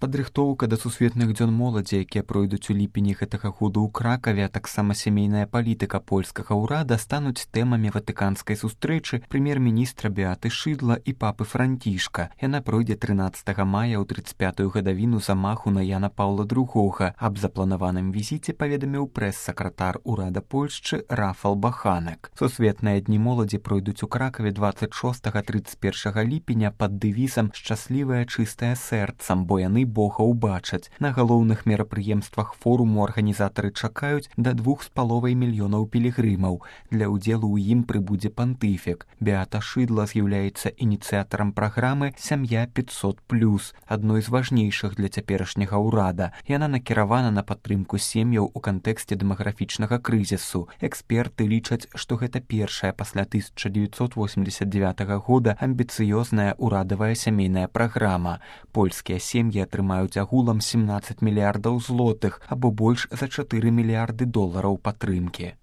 Падрыхтоўка да сусветных дзён моладзі, якія пройдуць у ліпені гэтага году ў Кракаве, а таксама сямейная палітыка польскага ўрада стануць тэмамі ватыканскай сустрэчы прэм'ер-міністра Беаты Шыдла і папы Францішка. Яна пройдзе 13 мая ў 35-ю гадавіну замаху на Яна Паўла II. Аб запланаваным візіце паведаміў прэс-сакратар урада Польшчы Рафал Баханек. Сусветныя дні моладзі пройдуць у Кракаве 26-31 ліпеня пад дэвізам «Шчаслівае чыстае сэрцам», бо яны Бога ўбачаць. На галоўных мерапрыемствах форуму арганізатары чакаюць да 2,5 мільёнаў пілігрымаў. Для ўдзелу ў ім прыбудзе пантыфік. Беата Шыдла з'яўляецца ініцыятарам праграмы «Сям'я 500+», адной з важнейшых для цяперашняга ўрада. Яна накіравана на падтрымку сем'яў у кантэксце дэмаграфічнага крызісу. Эксперты лічаць, што гэта першая пасля 1989 года амбіцыёзная ўрадавая сямейная праграма. Польскія сем'і атрымаюць агулам 17 мільярдаў злотых, або больш за 4 мільярды долараў падтрымкі.